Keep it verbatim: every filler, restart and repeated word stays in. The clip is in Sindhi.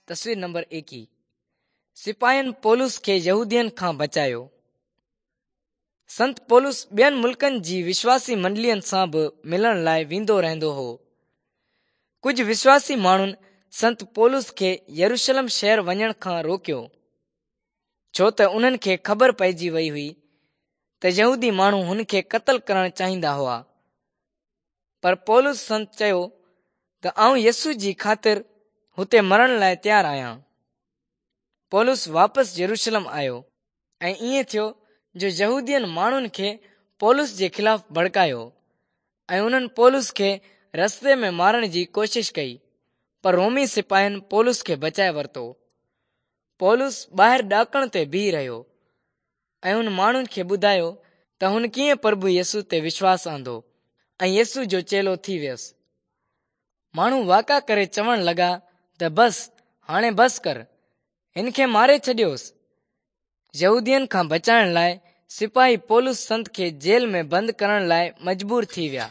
تصوير نمبر ايڪيهه. سپاهين پولس کي يهودين کان بچايو. سنت پولس ٻين ملڪن جي وشواسي منڊلين سان به ملڻ لاءِ ويندو رهندو هو. ڪجهه وشواسي ماڻهن سنت پولس کي يروشلم شهر وڃڻ کان روڪيو، ڇو ته انهن کي خبر پئجي وئي هئي ته يهودي ماڻهو هن کي قتل ڪرڻ چاهيندا هئا. پر پولس سنت چيو ته آئون يسوع جي خاطر هتي مرڻ لاءِ تيار آهيان. پولس واپس يروشلم آيو ۽ ائين ٿيو جو يهودين ماڻهن کي پولس جي خلاف ڀڙڪايو ۽ انهن پولس کي رستي ۾ مارڻ جي ڪوشش ڪئي، پر رومي سپاهين پولس کي بچائي ورتو. پولس ٻاهر ڏاڪڻ تي بيهي رهيو ۽ هن ماڻهن کي ٻڌايو ته هن ڪيئن پرڀو يسوع تي وشواس آندو ۽ يسوع جو چيلو ٿي ويس. ماڻهو واڪا ڪري چوڻ لڳا ته بس، هاڻي بس ڪر، هن کي ماري ڇڏيوس. يهودين کان بچائڻ لاءِ سپاهي پولس سنت کي جيل ۾ بند ڪرڻ لاءِ مجبور ٿي ويا.